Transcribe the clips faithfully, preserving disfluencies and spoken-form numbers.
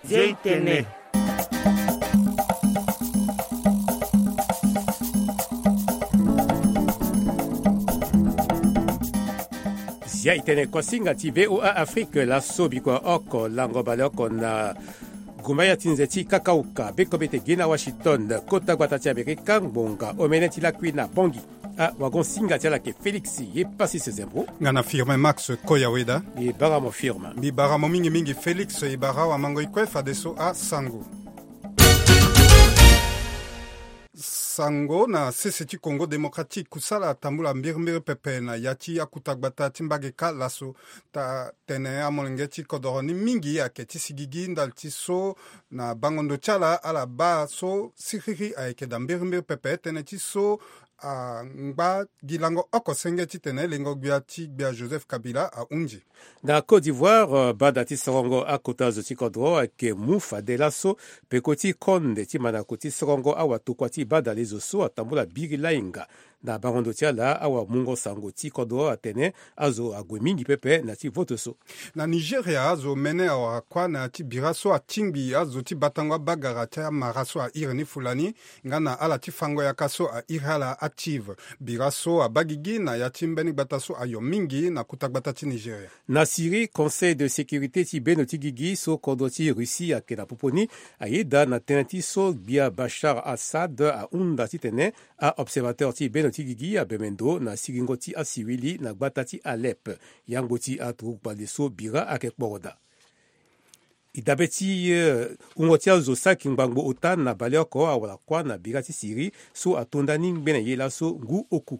Zia itene. Zia itene kuasinga ti V O A Afrique, laso bikua oko lango baleoko na gumbaya ti nze ti kakauka bekobe te gi na Washington. Kota gbata ti Amerika ngbonga omene ti lakui na Bangui. Ah, wagon singa ti ala ke Félix ye pasi se zembo. Nga na Firmin Max Koyaweda. E bara mo Firmin. Mbi bara mo mingi mingi Félix, e bara wa mango i kue fadeso asango. Sango na sese ti Congo Démocratique, kusala atambula mbirimbiri pepe na ya ti akuta gbata ti mbage ka laso. Ta tene amolenge ti kodoro ni mingi ayeke ti sigigi ndali ti so na bango ndo ti ala, ala baa so siriri ayeke daa mbirimbiri pepe tënë ti so angba gi lango oko senge titene lengo gbia ti gbia Joseph Kabila ahunzi. Na Côte d'Ivoire, euh, bada ti sorongo akota zo ti kodro ayeke mu fade laso peko ti konde ti mandako ti sorongo awatokua ti bada lezo so atambula biri lainga. Na bango ndo ti ala, awamungo sango ti kodro atene azo ague mingi pepe na ti vote so. Na Nigeria, azo mene awara kuâ na ya ti bira so atingbi azo ti batango abagara ti amara so airi ni fulani, nga na ala ti fango yaka so airi ala ative. Bira so abaa gigi na ya ti mbeni gbata so ayo mingi na kuta gbata ti Nigeria. Na Syrie, Conseil de sécurité ti beno ti gigi so kodro ti Russie ayeke na popo ni ayeda na tënë ti so gbia Bashar Assad ahunda titene a-observateur ti beno ti gigi abembe ndo na siringo ti asiwili na gbata ti Alep. Yangbo ti aturugu kpale so bira ayeke kporoda. E dabe ti, eh, wungo ti azo saki ngbangbo ota na baleoko awara kuâ na bira ti Syrie so atonda ni ngbene ye laso ngu oku.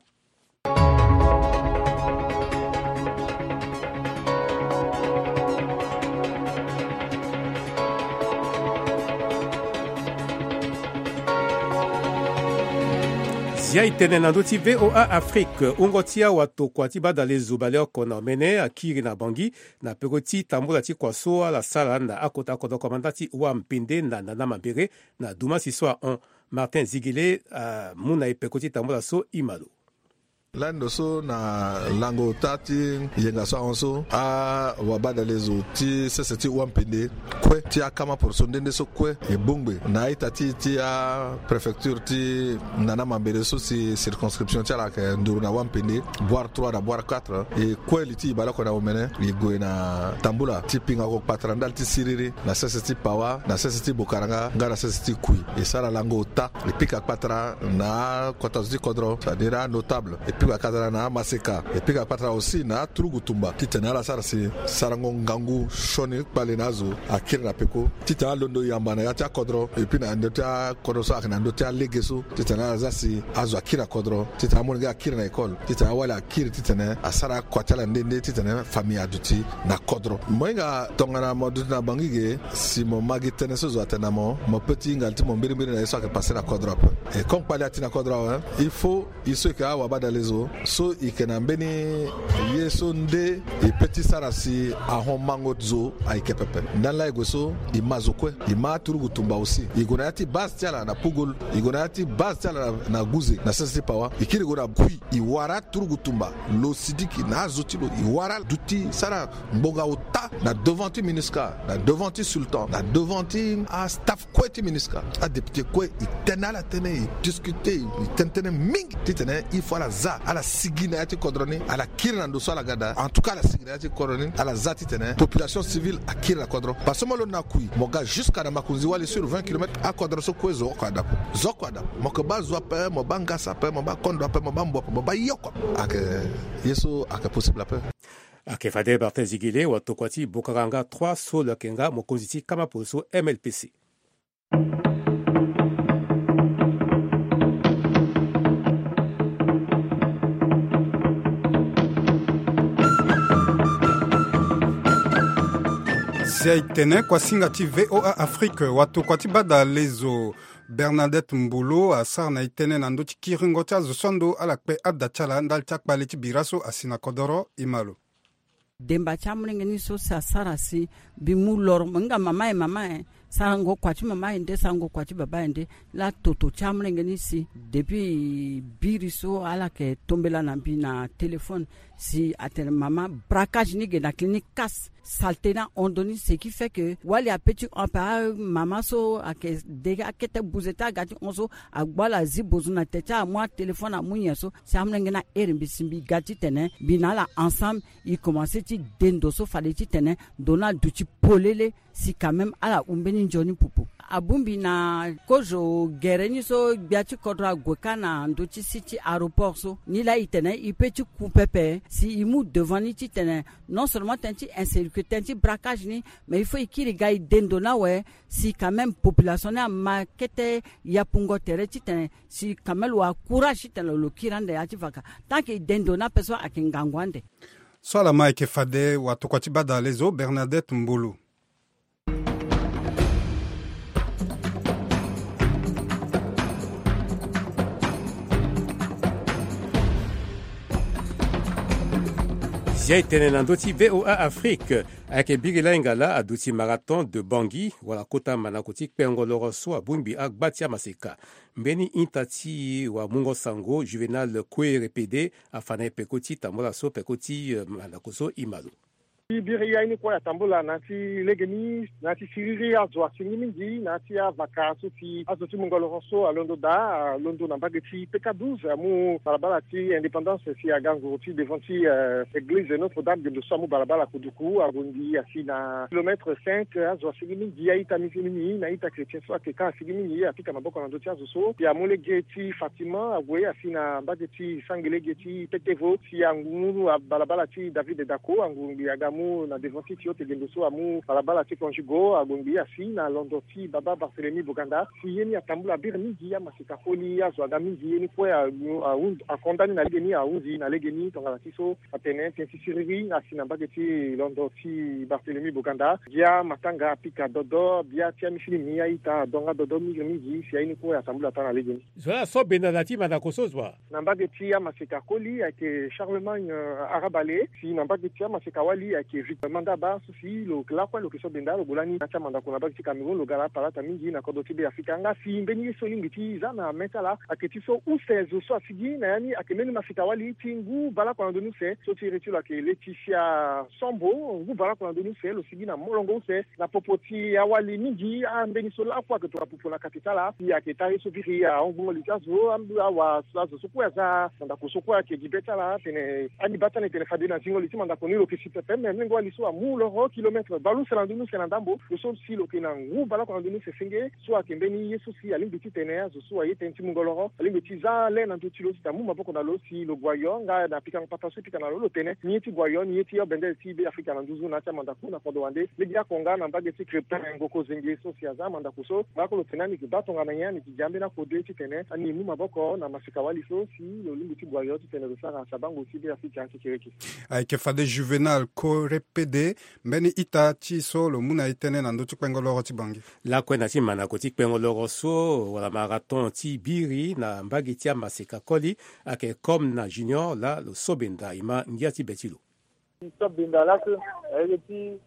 Zia e tene na ndö ti V O A Afrique, wungo ti awatokua ti badalezo baleoko na omene akiri na Bangui na peko ti tambula ti kua so ala sara na akota kodro komanda ti Wampende na Nana Mambere na dumasi so ahon. Martin Zigele amu na e peko ti tambula so, e ma lo. Lani ndo so na lango ota ti yenga so ahon so, awabadalezo ti sese ti Wampende kue ti akama poroso nde nde so kue e bongbe na a-ita ti, ti apréfecture ti Nana Mambere so si circonscription ti ala ayeke nduru na Wampende, Bouar trois na Bouar quatre. E kue li ti e baleoko na omene e gue na tambula ti pinga oko kpatara ndali ti siriri na sese ti Pawa, na sese ti Bokaranga nga na sese ti Kui. E sara lango ota, e pika kpatara na akota zo ti kodro, c'est-à-dire anotable, e pika kpatara na amaseka, e pika kpatara aussi na aturugu tumba titene ala sara si sarango ngangu sioni kpale na azo akiri na peko, titene alondo yamba na ya ti akodro, et puis na ndö ti akodro so ayeke na ndö ti alege so, titene ala za si azo akiri na kodro, titene amolenge akiri na école, titene awali akiri titene asara akua ti ala nde nde titene famille aduti na kodro. Mo hinga tongana mo duti na Bangui ge, si mo ma gi tënë so zo atene na mo, mo peut ti hinga li ti mo mbirimbiri na ye so ayeke passé na kodro ape. Et comme kpale ati na kodro awe, il faut e so e yeke awabadalezo so e yeke na mbeni ye so nde e peut ti sara si ahon mango zo ayeke pepe. Ndani laa e gue so e ma zo kue, e ma aturugu tumba aussi. E gue na ya ti base ti ala na Pugol, e gue na ya ti base ti ala na, na Guze, na sese ti Pawa. E kiri e gue na Kui, e wara aturugu tumba, lo Sidiki na azo ti lo, e wara ala duti sara ngbonga ota na devant ti MINUSCA, na devant ti sultan, na devant ti astaff kue ti MINUSCA. Adéputé kue e tene ala tënë, e discuter, e tene tënë mingi titene il faut ala za, ala sigi na ya ti kodro ni, ala kiri na ndo so ala ga daa. En tout cas ala sigi na ya ti kodro ni, ala za titene population civile akiri na kodro. Parce que mo londo na Kui, mo ga jusqu'à na Makunzi-Wali sur vingt kilomètres, akodro so kue zo oko adapo. Zo oko adapo. Mo yeke baa zo ape, mo baa ngasa ape, mo baa kondo ape, mo baa mbu ape, mo baa ye oko ape. Ayeke ye so ayeke possible ape. Ayeke fade Martin Zigele, watokua ti Bokaranga trois so lo yeke nga mokonzi ti kama poroso M L P C. Si ayeke tene kuasinga ti V O A Afrique, watokua ti badalezo Bernadette Mbolo asara na e tënë na ndö ti kiringo ti azo so ando ala kpe ada ti ala ndali ti akpale ti bira so asi na kodoro. E ma lo. Demba ti amolenge ni so si asara si mbi mu loro mo hinga mama e, mama e, sarango kua ti mama e nde, sarango kua ti baba e nde. Laa toto ti amolenge ni si depuis biri so ala yeke tombela na mbi na téléphone si atene mama, braquage ni ge na clinique Cas. Salte ni ahon ndoni, ce qui fait que wali ape ti hon ape, amama so ayeke de akete buze ti aga ti hon so, agbu ala azi bozu na te ti ala, amu atelefone amu nyen so, si amolenge ni ahere mbi si mbi ga titene mbi na ala ensemble, e komanse ti de ndo so fade titene ndo ni aduti polele, si quand même ala hu mbeni nzoni pupu. Abongbi na kozo gere ni so gbia ti kodro ague kâ na ndö ti si ti aéroport so, ni laa e tene e peut ti ku pepe si e mu devant ni titene non seulement tënë ti insécurité, tënë ti braquage ni, mais il faut e kiri ga e de ndo ni awe, si quand même population ni ama kete yapungo tere titene si quand même lo wa courage titene lo kiri ande ya ti vaka. Tant que e de ndo ni ape so ayeke ngangu ande. So ala ma ayeke fade watokua ti badale zo Bernadette Mbolo. Zia e tene na ndö ti V O A Afrique. Ayeke biri lainga laa aduti marathon de Bangui, wala kota mandako ti kpengo loro so abongbi agba ti amaseka. Mbeni ita ti wamungo sango Juvenal Kouéré Pédé afa na e peko ti tambula so peko ti, eh, mandako so e ma lo. Ti biri aye ni kue atambula na ya ti legeni, na ya ti siriri azo asingi mingi na ya ti avaka so si azo ti mungo loro so alondo daa, alondo na mbage ti P K douze, amu balabala ti Indépendance si aga nguru ti devant ti, eh, église Notre-Dame, gendo so amu balabala Kuduku, ague ngbii asi na kilomètre cinq, azo asingi mingi, a-ita mizilimi na a-ita chrétien so ayeke kâ asingi mingi, apika maboko na ndö ti azo so, si amu lege ti Fatima, ague asi na mbage ti sangi lege ti Petevo, si angu balabala ti David Dako, angu ngbii aga mu na devant ti Tiote gendo so amu balabala ti Conjugo, ague ngbii asi na londo ti Baba Barthélemy Boganda, si ye ni atambula biri mingi, amaseka koli, azo aga mingi, ye ni kue a, a, akonda ni na legeni, ahunzi na legeni, tongana ti so atene tënë ti siriri asi na mbage ti londo ti Barthélemy Boganda, bia matanga apika dodo, bia ti amisilimi a-ita adonga dodo mingi mingi, si aye ni kue atambula taa na legeni. Zo la so benda na ti mandako so zo wa? Na mbage ti amaseka koli ayeke Charlemagne, euh, Arabale, si na mbage ti amaseka wali ayeke Victor Mandaba, so si lo lakue lo yeke so benda lo gue lani na ya ti amandako na mbage ti Cameroun, lo ga laa palata mingi na kodro ti Be Afrika. Nga si mbeni ye so e lingbi ti za na mê ti ala ayeke ti so use zo so asigi na ya ni ayeke mbeni maseka wali ti ngu bale oko na ndö ni use, so ti iri ti lo ayeke Laetitia Sombo, ngu bale oko na ndö ni use, lo sigi na molongo use na popo ti awali mingi, ambeni so lakue ayeke tongana popo na kati ti ala. Si ayeke taa ye so biri ahon gbongo li ti azo, a, awa, azo so kue aza na ndako so kue ayeke gi be ti ala atene, ani baa ti ala e tene fade na zingo li ti mandako ni lo yeke si pepe, me molenge wali so amu loro kilomètre bale use na ndö ni use na ndambo, lo so si lo yeke na ngu bale oko na ndö ni use senge, so ayeke mbeni ye so si alingbi titene azo so aye tënë ti mungo loro alingbi ti za le na ndö ti lo titene amu maboko na lo si lo gue ayo, nga na pikango papa so e pika na lo, lo tene ni ye ti gue ayo, ni ye ti yo bendele ti Be Afrika na nduzu na ya ti amandaku na kodro wande. Lege oko nga na mbage ti Crépin Ngoko Zenge so si aza mandako so, nga kue lo tene ani yeke baa tongana nyen, ani yeke gi ambeni akode titene ani mu maboko na maseka wali so si lo lingbi ti gue ayo titene lo sara sabango ti Be Afrika ti kereke. Ayeke fade Juvenal Korepede, mbeni ita ti so lo mu na e tënë na ndö ti kpengo loro ti Bangui. Lakue na ti mandako ti kpengo loro so wala marathon ti biri na mbage ti amaseka koli ayeke Comme na Junior laa lo so benda e ma ngia ti be ti lo. Ti so benda laso ayeke ti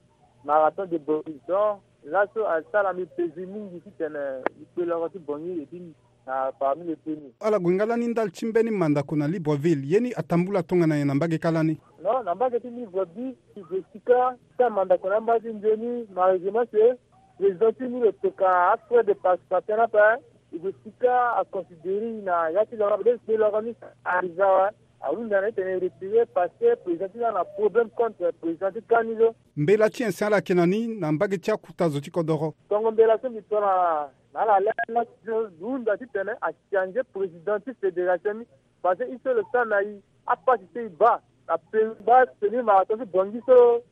marathon de Bangui, donc laso asara mbi plaisir mingi titene mbi kpe loro ti Bangui et puis na parmi les premiers. Ala gue nga lani ndali ti mbeni mandako na Libreville, ye ni atambula tongana nyen na mbage kâ lani? Non, na mbage ti Libreville, e gue si kâ ti amandako na mbage ti nzoni, malheureusement c'est président ti ni lo toka afrais de participation ni ape. E gue si kâ aconsidérer na ya ti loro, be ti kpe loro ni, a déjà awe, ahunda na e tene e retirer parce que président ti ni ana problème contre président ti kâ ni so. Mbela ti nyen si ala yeke na ni na mbage ti akuta zo ti kodoro? Tongo mbela so mbi to na, na ala laa, na ti so mbi hunda titene achanger président ti fédération ni. Parce que e so lo sara na e apasi so e baa na pe, baa semi marathon ti Bangui so,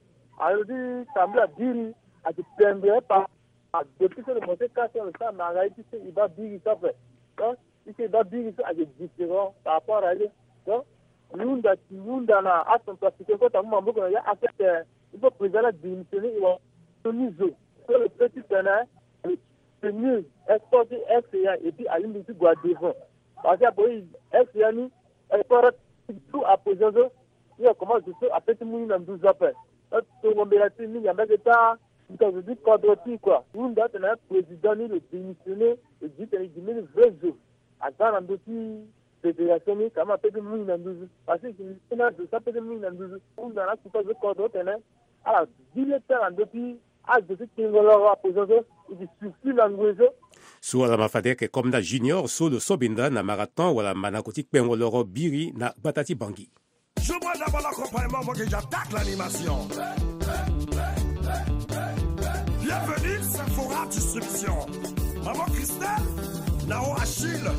alo ti tambula biri, ayeke pembe pa, depuis so lo mo ti kâ so lo sara na ala ye ti so e baa biri so ape. Donc e so e baa biri so ayeke différent par rapport à ye. Donc e hunda, e hunda na acentrafricain kota mu maboko na ya, en fait, euh, il faut président la démissionner, e wa so ni zo so lo peut titene tenir sport ti R C A et puis alingbi ti gue devant. Parce que ape R C A ni sport ti tout à présent so, ni akomanse so ape ti mu ni na nduzu ape. Tongo mbela ti e mingi, ambeni taa, mbi ta zo ti kodro ti e kua. Hunda atene président ni lo démissionner, lo gi tene e gi mbeni vrai zo aga na ndö ti fédération ni, kama ape ti mu ni na nduzu. Parce que e gi mbeni azo so ape ti mu ni na nduzu. Hunda na akuta zo ti kodro tene ala zi leta na ndö ti azo ti kpengo loro apoison so, e ke surtout na ngoi so. So ala ma fade ayeke comme nda Junior so lo so benda na marathon wala manako ti kpengo loro biri na gbata ti Bangui. Joue-moi d'abord l'accompagnement avant que j'attaque l'animation. Bienvenue, Sephora Distribution. Maman Christelle, Nao Achille.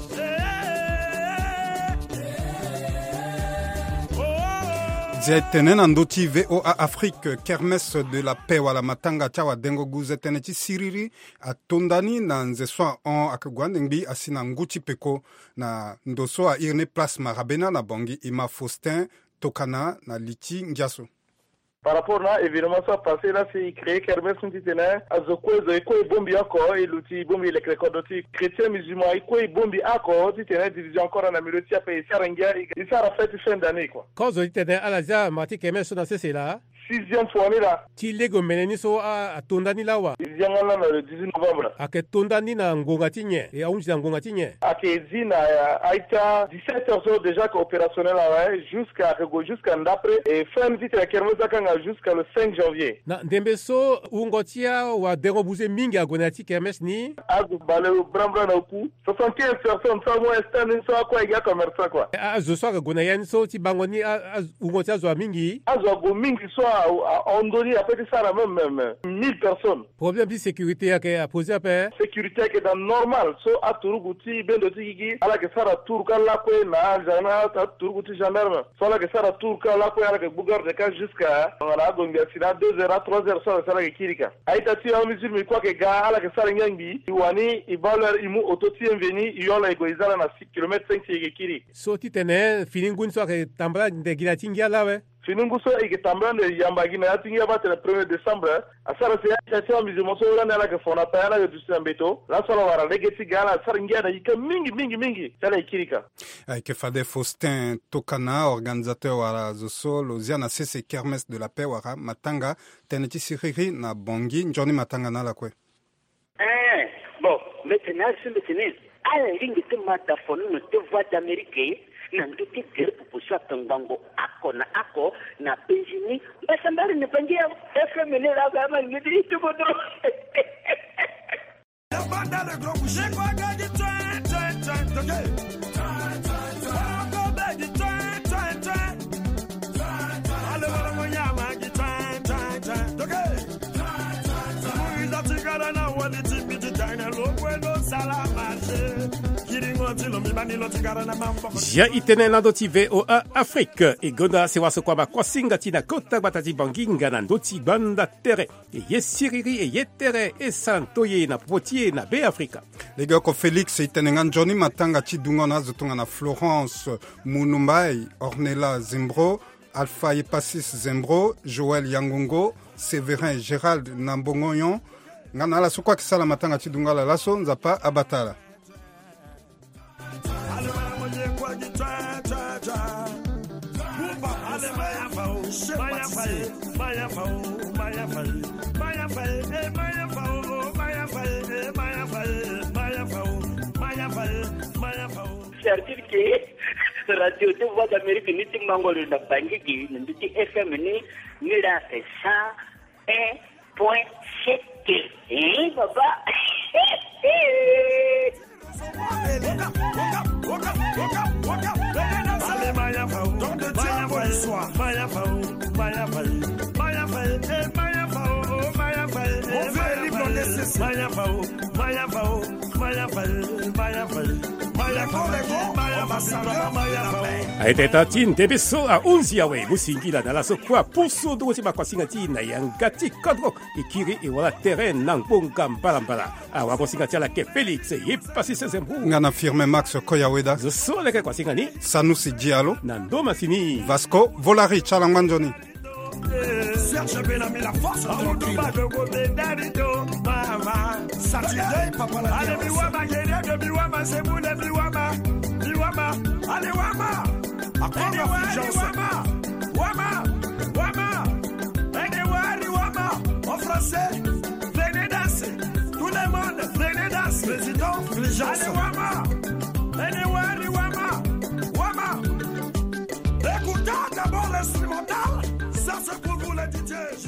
Zia e tene na ndö ti V O A Afrique, kermesse de la paix wala matanga ti awadengo guze tënë ti siriri ato nda ni na nze so ahon ayeke gue ande ngbii asi na ngu ti peko na ndo so airi ni place Marabena na Bangui, e ma Faustin tokana na li ti ngia so. Par rapport na événement so apassé la, si e créé kermesse ni titene azo kue zo e kue e bongbi oko, e luti e bongbi e leke kodro ti chrétien musulman e kue e bongbi oko titene division encore na milieu ti ape e sara ngia, e sara fête fin d'année quoi. Kozo titene ala zia mara ti kermesse so na sese laa. Sixième fois ni laa. Ti lege omene ni so a, ato nda ni laa wa? E zia nga laa na le dix-huit novembre. Ayeke to nda ni na ngonga ti nyen? E ahunzi na ngonga ti nyen? Ayeke zi na, eh, a-ita dix-sept heures so déjà ayeke opérationnel awe, jusqu'à, ayeke gue jusqu'à ndapre. E fin ni titene kermesse akanga jusqu'à le cinq janvier. Na ndembe so wungo ti awadengo buze mingi ague na ya ti kermesse ni? Azo bale branbran na oku. Soixante-quinze personnes so amu stand ni so akue ayeke acommerçant quoi. A, azo so ayeke gue na ya ni so ti bango ni a, a, wungo ti azo amingi? Azo ague mingi so a, a, ahon ndö ni ape ti sara même, même mille personnes. Problème ti sécurité ayeke aposé ape? Sécurité ayeke daa normal so aturugu ti bendo ti gigi ala yeke sara tour ka lakue na agent na aturugu ti gendarme. So ala yeke sara tour ka lakue ala yeke gbu garde ka jusqu'à tongana agongbia si na deux heures à trois heures so ala yeke sara ayeke kiri ka. A-ita ti amusulmi kue ayeke ga ala yeke sara ngia ngbii. E wani e baa l'heure e mu auto ti e mveni e yo ala e gue e za ala na six kilomètres cinq si e yeke kiri. So titene fini ngu ni so ayeke tambala ande gi na ya ti ngia laa awe? Fini ngu so e yeke tambala ande yamba gi na ya ti ngia baa tene premier décembre. Asara si a-ita ti amusulman so lani ala yeke fo na pai ala yeke duti na mbeto laso ala wara lege ti ga ala sara ngia na ika mingi mingi mingi si ala e kiri ka. Ayeke fade Faustin Tokana, organisateur wala zo so lo zia na sese kermesse de la paix wala matanga tënë ti siriri na Bangui. Nzoni matanga na ala kue. Eh, bon, mbeti na ala so mbeti ni. Ala lingbi ti ma da fonono ti Voix d'Amérique na ndö ti gere popo so ayeke ngbongo oko na oko na penzi ni. Mbasambara na Bangui awe. F M ni laa awe ama lingbi ti ti kodro. Zia e tene na ndö ti V O A Afrique. E gonda sewa so kua bakosinga ti na kota gbata ti Bangui nga na ndö ti gbanda tere. E ye siriri e ye tere e sara ntoye na popo ti e na Be Afrika. Legeoko Félix e tene nga nzoni matanga ti dungo na azo tongana Florence Munumbai, Ornella Zembro, Alpha Epasis Zembro, Joël Yangongo, Séverin Gérald na Mbongoyon. Nga na ala so kue ayeke sala matanga ti dungo ala laso, Nzapa abata ala. C'est-à-dire que radio ti Voix d'Amérique ni ti mango lo na Bangui gi na ndö ti F M ni, ni la c'est cent un point sept. Eh, papa. Aye teta ti ndembe so ahunzi awe, mo singila na ala so kue apusu ndungo ti makosinga ti na yanga ti kodro. E kiri e wara tere na ngbonga mbalambala. Awagosinga ti ala ke Félix Epasis Zembro. Nga na Firmin Max Koyaweda. Zo so leke kosinga ni. Sanusi Diallo. Na ndo masini. Vasco Volari ti ala ngba nzoni. Serge Benami, la force de Amudu Badogo Bedarito, mama. Saturday, papa la terre. Allez, biwama, guerrier de biwama, c'est vous les biwama. Biwama, allez, wama. Akonga Fulgence. Wama, wama, wama. Allez, wari, wama. En français, venez danser. Tout le monde, venez danser. Président Fulgence. Allez, wama. Allez, wari, wama. Wama. Écoutez d'abord l'instrumental. Ça, c'est pour vous, les D J.